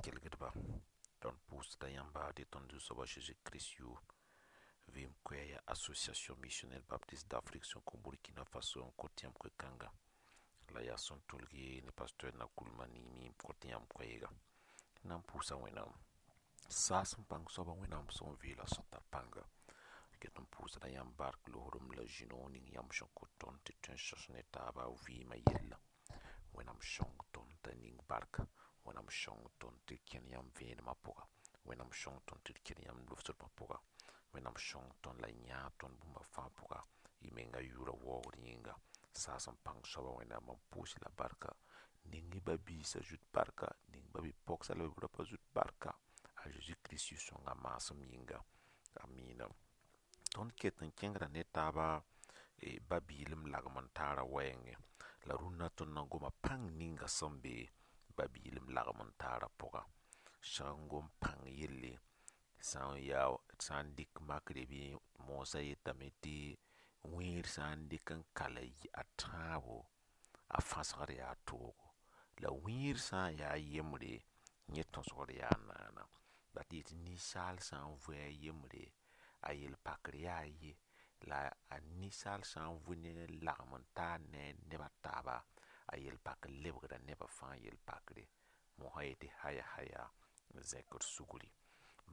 Kelgdba, tõnd pʋʋsda yãmba tɩ tõnd Zu-soaba Zeezi Kirist yʋʋr vɩɩm koɛɛg yaa Association Missionnaire Baptiste d'Afrique sẽn kõ Burkina Faso n kõt yãmb koe-kãnga la yaa sẽn tʋlge ne pasteur Nakoulma Nimi n kõt yãmb koɛɛga. Na n pʋʋsa Wẽnnaam saas n pãng soaba Wẽnnaam sẽn vɩɩla sẽn tar pãnga. Ket n pʋʋsda yãmb bark loosdem la zĩnoog ning yãmb sẽn kõt tõnd tɩ tõe n sõs ne taaba vɩɩmã yella. Wẽnnaam sõng tõnd t'a ning barka. Wẽnnaam sõng tõnd tɩ d kẽn yãmb vẽenemã pʋga. Wẽnnaam sõng tõnd tɩ d kẽn yãmb lofsdmã pʋga. Wẽnnaam sõng tõnd la yãab tõnd bũmba fãa pʋga. Y menga yʋʋra waoogd yĩnga. Saas n pãng soaba Wẽnnaam n pʋʋs la barka. Ning y ba-biisã zut barka, ning ba-bi-pogsã la ba-bi-raopã zut barka. A Zeezi Kirist yʋ-sõngã maasem yĩnga. Amiina. Tõnd ket n kẽngda ne taaba ba-biilem lagem n taara wɛɛngẽ. La rũnnã tõnd na goma pãng ninga sẽn be ba-biilem lagem n taara pʋga. Sag n gom pãng yelle sã n yaa sã n dɩk makre bɩ moosã yetame tɩ wẽed sã n dɩk n kal a tãabo, a fãsgd yaa toogo. La wẽed sã n yaa yembre, yẽ tõsgd yaa naana. La tɩ yetɩ ninsaal sã n vʋ a yembre, a yel-pakr yaa ye, la a ninsaal sã n vʋ ne lagem n taar ne a neb a taaba, a yel-pakr lebgda nebã fãa yel-pakre. Mosã yetɩ haya haya n zẽkd sugri.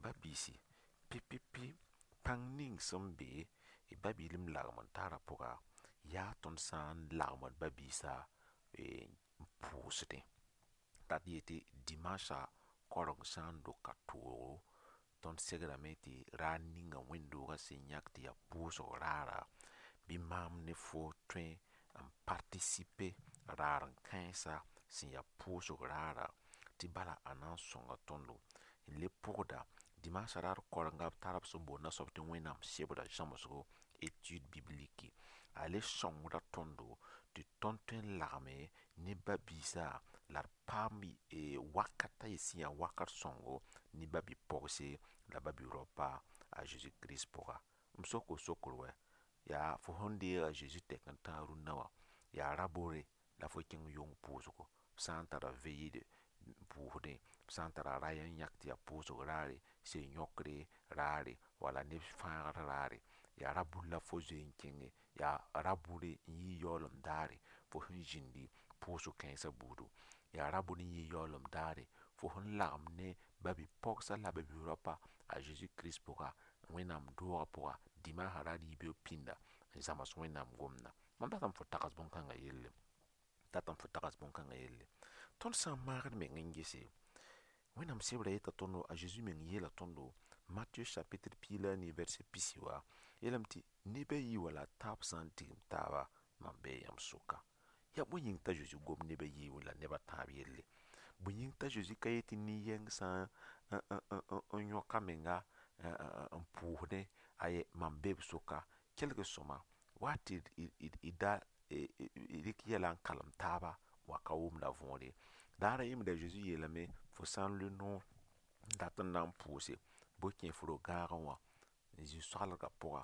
Ba-biisi, pipi pãng ning sẽn be ba-biilem lagem n taarã pʋga, yaa tõnd sã n lagmd ba-biisã n pʋʋsdẽ. Dat yetɩ dimanche kaoreng sã n doka toogo, tõnd segrame tɩ raar ninga wẽnd-doogã sẽn yãk tɩ yaa pʋʋsg raara, bɩ maam ne fo tõe n partisipe raar n kãensa sẽn yaa pʋʋsg raara, tɩ bala a na n sõnga tõndo n le pʋgda dimanche raar kaorenga b tara b sẽn boond a soab tɩ Wẽnnaam sebra zãmsgo, étude biblique. A le sõngda tõndo tɩ tõnd tõe n lagme ne ba-biisã la d paam wakata ye sẽn yaa wakat sõngo ne ba-bi-pogse la ba-bi-raopa a Zeezi Kirist pʋga. M sok sokr wɛ, yaa fo sẽn deeg a Zeezi tɛk n tãag rũnnã wã, yaa ra-bore la fo kẽng yong pʋʋsgo. B sã n tara veillée n pʋʋsdẽ, b sã n tara raya n yãk tɩ yaa pʋʋsg raare, sel-yõkre raare, wala neb fãagr raare, yaa ra-bur la fo zoe n kẽnge, yaa ra-bʋre n yɩ yaoolem daare fo sẽn zĩndi pʋʋsg kãensã buudu, yaa ra-bʋr n yɩ yaoolem daare fo sẽn lagem ne ba-bi-pogsã la ba-bi-raopa a Zeezi Kirist pʋga, Wẽnnaam doogã pʋga, dimaasã raar yibeoog pĩnda n zãms Wẽnnaam gomdã. Mam datame fo tags bõn-kãngã yelle, datame fo tags bõn-kãngã yelle. Tõnd sã n maag d meng n gese, Wẽnnaam sebra yeta tõndo, a Zeezi meng yeela tõndo, Matthieu chapitre 14 verset pisi wã, yeelame tɩ neb a yi wala a tãab sã n tigim taaba, mam bee yãmb sʋka. Yaa bõe yĩng t'a Zeezi gom neb a yi la neb a tãab yelle? Bõe yĩng t'a Zeezi ka yetɩ nin-yɛng sã n yõk a menga n pʋʋsdẽ, aye mam be b sʋka. Kelg sõma, wa tɩ d da rɩk yɛla n kalem taaba wa ka wʋmda võor ye. Daar a yembr a Zeezi yeelame, fo sã n lʋ noor n dat n na n pʋʋse, bɩ kẽ f ro-gãagẽ wã n zĩ soalgã pʋga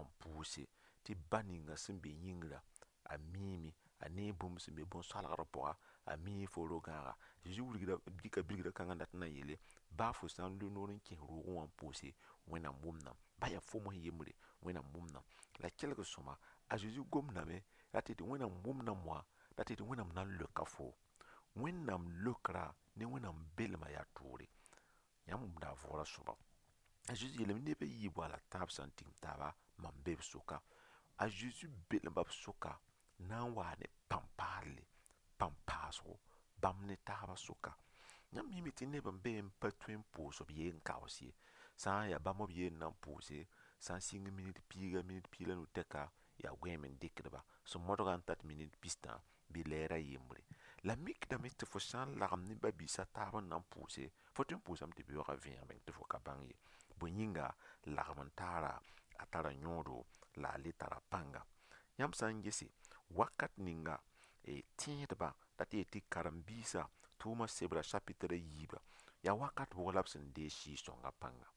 n pʋʋse tɩ ba ninga sẽn be yĩngrã a miime, a nee bũmb sẽn be bõn-soalgrã pʋga, a mii fo ro-gãaga. Zeezi wilgda dɩka bilgrã kãngã n dat n na n yeele, baa fo sã n lʋ noor n kẽes roogẽ wã n pʋʋse, Wẽnnaam wʋmdame. Ba yaa fo mosã yembre, Wẽnnaam wʋmdame. La kelg sõma, a Zeezi gomdame la tɩ Wẽnnaam wʋmdame wã, la tɩ Wẽnnaam na n leoka fo. Wẽnnaam leokra ne Wẽnnaam belmã yaa toore. Yãmb wʋmda a võorã sõma. A Zeezi yeelame neb a yiib wala tãab sã n tigim taaba, mam be b sʋka. A Zeezi belma b sʋka na n waa ne pãn-paalle, pãn-paasgo bãmb ne taabã sʋka. Yãmb miime tɩ neb n be n pa tõe n pʋʋs b yee n kaoos ye. Sã n yaa bãmb b yee n na n pʋʋse, sã n sɩng minit piiga, minit piig la nu tɛka, yaa goẽem n dɩkdba. Sẽn modgã n tat minit pistã bɩ lɛɛr a yembre. La mikdame tɩ fo sã n lagem ne ba-biisã taab n na n pʋʋse, fo tõe n pʋʋsame tɩ beoogã vẽeg meng tɩ fo ka bãng ye. Bõe yĩnga, lagem n taara, a tara yõodo la a le tara pãnga. Yãmb sã n gese, wakat ninga tẽedbã la tɩ yetɩ karen-biisã tʋʋma sebra chapitre a yiiba, yaa wakat bʋg la b sẽn deeg Sɩɩg-sõngã pãnga.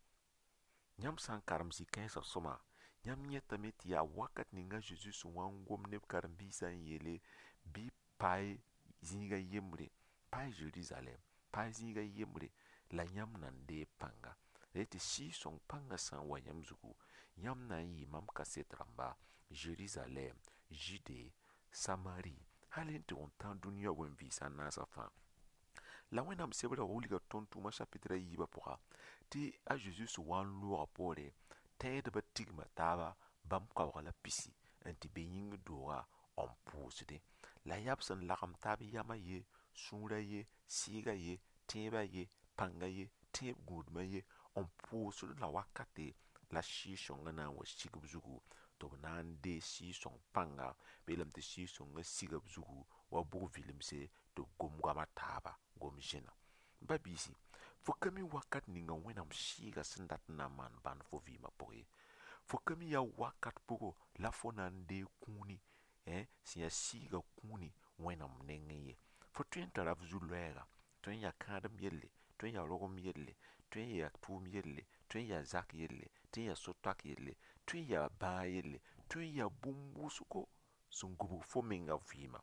Yãmb sã n karem zĩ-kãensã sõma, yãmb yẽtame tɩ yaa wakat ninga Zeezi sẽn wa n gom neb karen-biisã n yeele bɩ pae zĩiga yembre, pae Zerizalɛm. Paay zĩiga yembre la yãmb na n deeg pãnga. La tɩ Sɩɩg-sõng pãngã sã n wa yãmb zugu, yãmb na n yɩ mam kaset rãmba Zerizalɛɛm, Zude, Samari, hal n tɩ n tãag dũniyã wẽn-vɩɩs a naasã fãa. La Wẽnnaam sebrã wilga tõnd tʋʋma chapitrã yiibã pʋga, tɩ a Zeezi sẽn wa n loogã poore, tẽedbã tigma taaba bãmb kaooga la pisi n tɩ be yĩngr dooga n pʋʋsdẽ. La yaa b sẽn lagem taab yamã ye, sũurã ye, sɩɩgã ye, tẽebã ye, pãnga ye, tẽeb gũudmã ye, n pʋʋsd la wakate la Sɩɩg-sõngã na n wa sig b zugu tɩ b na n deeg Sɩɩg-sõng pãnga. B yeelame tɩ Sɩɩg-sõngã siga b zugu wa bug-vilemse tɩ b gom goama taaba, gom zẽna. Ba-biisi, fo ka mi wakat ninga Wẽnnaam sɩɩgã sẽn dat n na n maan bãnd fo vɩɩmã pʋgẽ ye. Fo ka mi yaa wakat pʋgɔ la fo na n deeg kũuni, sẽn yaa sɩɩgã kũuni Wẽnnaam nengẽ ye. Fo tõe n tara f zu-loɛɛga, tõe n yaa kãadem yelle, tõe n yaa rogem yelle, tõe n yaa tʋʋm yelle, tõe n yaa zak yelle, tõe n yaa so-toak yelle, tõe n yaa bãag yelle, tõe n yaa bũmb wʋsgo sẽn gũbg fo menga vɩɩmã.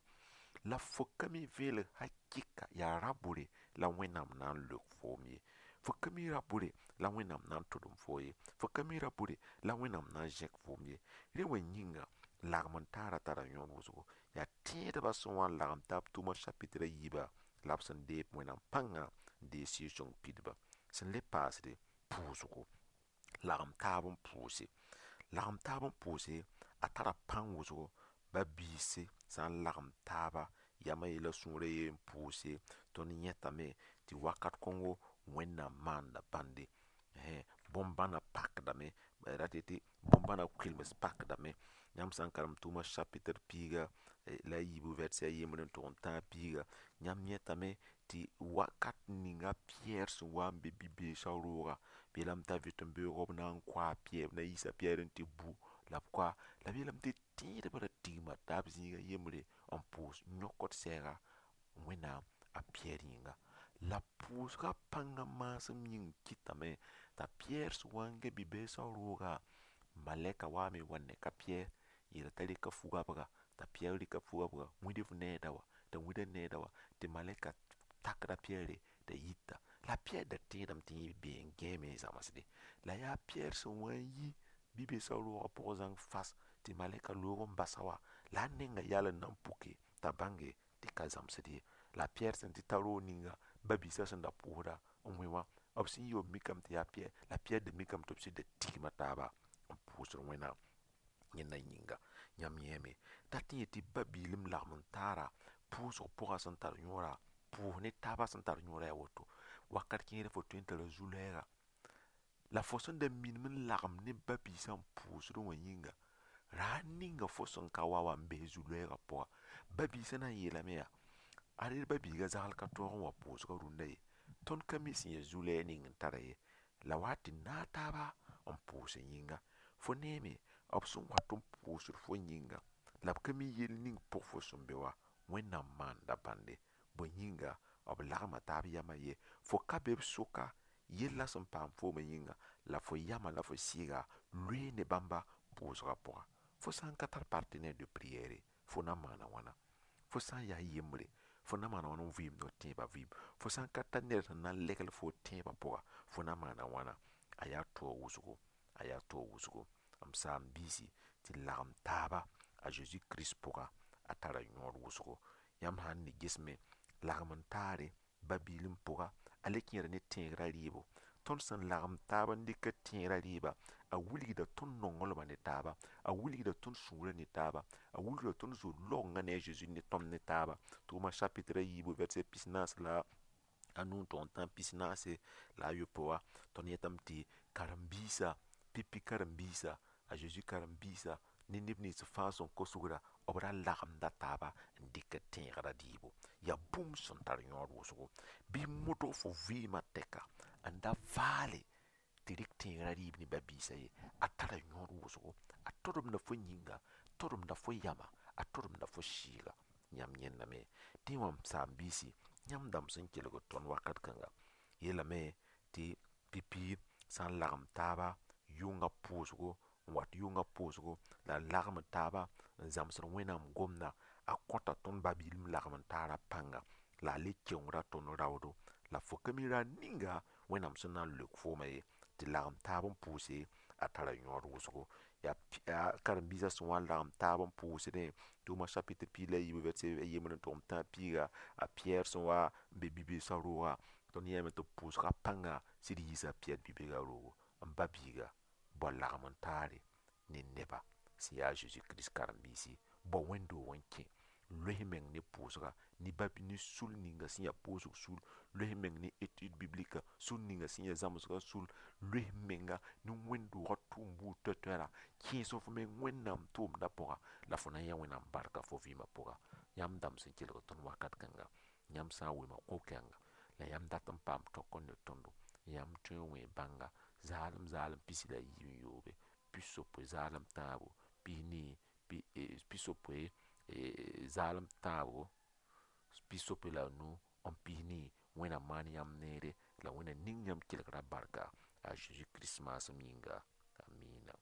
La fo ka mi veelg hakɩka yaa ra-bʋre la Wẽnnaam na n leok foom ye. Fo ka mi ra-bʋre la Wẽnnaam na n tʋdem foo ye. Fo ka mi ra-bʋre la Wẽnnaam na n zẽk foom ye. Rẽ wã yĩnga, lagem n taara tara yõod wʋsgo. Yaa tẽedbã sẽn wa n lagem taab tʋʋma chapitrã yiibã la b sẽn deeg Wẽnnaam pãnga n deeg Sɩɩg-sõng pidba. Sẽn le paasde, pʋʋsgo. Lagem taab n pʋʋse. Lagem taab n pʋʋse, a tara pãng wʋsgo, ba-biisi sã n lagem taaba, yamã ye la sũurã ye n pʋʋse, tõnd yẽtame tɩ wakat kõngo Wẽnnaam maanda bãnde. Bõn-bãna pakdame, rat tɩ bõn-bãna kʋɩlems pakdame. Yãmb sã n karem tʋʋma chapitre piiga la a yiibu vɛrsɛ a yembr n tʋg n tãag piiga, yãmb yẽtame tɩ wakat ninga Piyɛr sẽn wa n be bi-beesã rooga, b yeelame t'a vɩtẽn-beoog b na n kʋa a Piyɛr, b na yiisa Piyɛr n tɩ bu la b kʋa. La b yeelame tɩ tẽedbã ra tigma taab zĩiga yembre n pʋʋs yõkd sɛɛga Wẽnnaam a Piyɛr yĩnga. La pʋʋsgã pãngã maasem yĩng kɩtame t'a Piyɛr sẽn wa n gãe bi-beesã rooga, malɛka waame n wa n neka Piyɛr yeela t'a rɩka fu-goabga, t'a Piyɛr rɩka fu-goabga, wĩd f needa wã, t'a wĩd a needa wã, tɩ malɛka takda Piyɛre t'a yita. La Piyɛr da tẽedame tɩ yẽ bee n gãeeme n zãmsde. La yaa Piyɛr sẽn wa n yi bi-beesã roogã pʋgẽ zãng fas tɩ malɛka loog n basa wã, la a nengã yal n na n puke t'a bãnge tɩ ka zãmsd ye. La Piyɛr sẽn tɩ ta roog ninga, ba-biisã sẽn da pʋʋsda n wẽ wã, b sẽn yi b mikame tɩ yaa Piyɛr, la Piyɛr da mikame tɩ b sɩd da tigma taaba n pʋʋsd Wẽnnaam yẽnda yĩnga. Yãmb yẽeme dat n yetɩ ba-biilem lagem n taara pʋʋsg pʋgã sẽn tar yõora, pʋʋs ne taabã sẽn tar yõora yaa woto. Wakat kẽere fo tõe n tara zu-loɛɛga. La fo sẽn da minim n lagem ne ba-biisã n pʋʋsdẽ wã yĩnga, ra ninga fo sẽn ka wa wã n bes zu-loɛɛgã pʋga. Ba-biisã na n yeelame yaa, ad ba-biiga zagl ka tõog n wa pʋʋsgã rũndã ye. Tõnd ka mi sẽn yaa zu-lɛɛg ning n tara ye. La wa tɩ naag taaba n pʋʋs yĩnga. Fo neeme, b sẽn wat n pʋʋsd fo yĩnga, la b ka mi yell ning pʋg fo sẽn be wã, Wẽnnaam maanda bãnde. Bõe yĩnga, b lagma taab yamã ye. Fo ka be b sʋka, yellã sẽn paam foomã yĩnga, la fo yamã la fo sɩɩga loee ne bãmba pʋʋsgã pʋga. Fo sã n ka tar partenaire de prière, fo na n maana wãna. Fo sã n yaa yembre, fo na maana wãna n vɩɩmd f tẽebã vɩɩm. Fo sã n ka tar ned sẽn na n legl fo tẽebã pʋga, fo na maana wãna. A yaa taoog wʋsgo, a yaa taoog wʋsgo. M saam-biisi tɩ lagem taaba a Zeezi Kirist pʋga, a tara yõod wʋsgo. Yãmb sã n ne gesme, lagem n taare ba-biilem pʋga, a le kẽeda ne tẽegrã rɩɩbo. Tõnd sẽn lagem taab n dɩk tẽegrã rɩɩba, a wilgda tõnd nonglmã ne taaba, a wilgda tõnd sũurã ne taaba, a wilgda tõnd zo-longã ne a Zeezi ne tõnd ne taaba. Tʋʋma chapitrã yiibu vɛrsɛ pis-naas la a nu n tʋg n tãag pis-naase la a yopoe wã, tõnd yetame tɩ karen-biisã, pipi karen-biisã, a Zeezi karen-biisã ne neb nins fãa sẽn kos-sugra, b ra lagemda taaba n dɩk tẽegrã rɩɩbo. Yaa bũmb sẽn tar yõod wʋsgo. Bɩ modg fo vɩɩmã tɛka n da vaale tɩ rɩk tẽegrã rɩɩb ne ba-biisã ye. A tara yõod wʋsgo. A todemda fo yĩnga, todemda fo yama, a todemda fo sɩɩga. Yãmb yẽndame. Dẽ wã m saam-biisi, yãmb dãmb sẽn kelgd tõnd wakat kãnga, yeelame tɩ pipi sã n lagem taaba yʋngã pʋʋsgo, n wat yʋngã pʋʋsgo, la lagem taaba n zãmsd Wẽnnaam gomda, a kõta tõnd ba-biilem lagem n taara pãnga, la a le keongra tõnd raoodo, La fo ka mi raar ninga Wẽnnaam sẽn na n leok foomã ye, tɩ lagem taab n pʋʋse, a tara yõod wʋsgo. Yaa karen-biisã sẽn wa n lagem taab n pʋʋsdẽ, tʋʋma chapitre 14 verset 1 tɩ a Piyɛr sẽn wa n be bi-beesã rooga, tõnd yãame tɩ pʋʋsga pãnga sɩd yiisa a Piyɛr bi-beegã roogo. N ba biiga, bao lagem n taare ne neba sẽn yaa a Zeezi Kirist karen-biisi, bao wẽnd-doog n kẽ, loes meng ne pʋʋsga, ne ba ne sul ninga sẽn ya pʋʋsg sul, loes meng ne étude biblique sul ninga sẽn ya zãmsgã sul, loes menga ne wẽnd-doogã tʋʋm buud toɛ-toɛra, kẽes f meng Wẽnnaam tʋʋmdã pʋga, la fo na yã Wẽnnaam barka fo vɩɩmã pʋga. Yãmb dãmb sẽn kelg tõnd wakat kãnga, yãmb sã n wema ko-kɛnga, la yãmb dat n paam tɔk n ne tõndo, yãmb tõe n wẽ bãnga zaalem zaalem 47 60 3 4 60 zaalem tãabo 65 n 40. Wẽnnaam maan yãmb neere, la Wẽnnaam ning yãmb kelgrã barka a Zeezi Kirist maasem yĩnga. Amiina.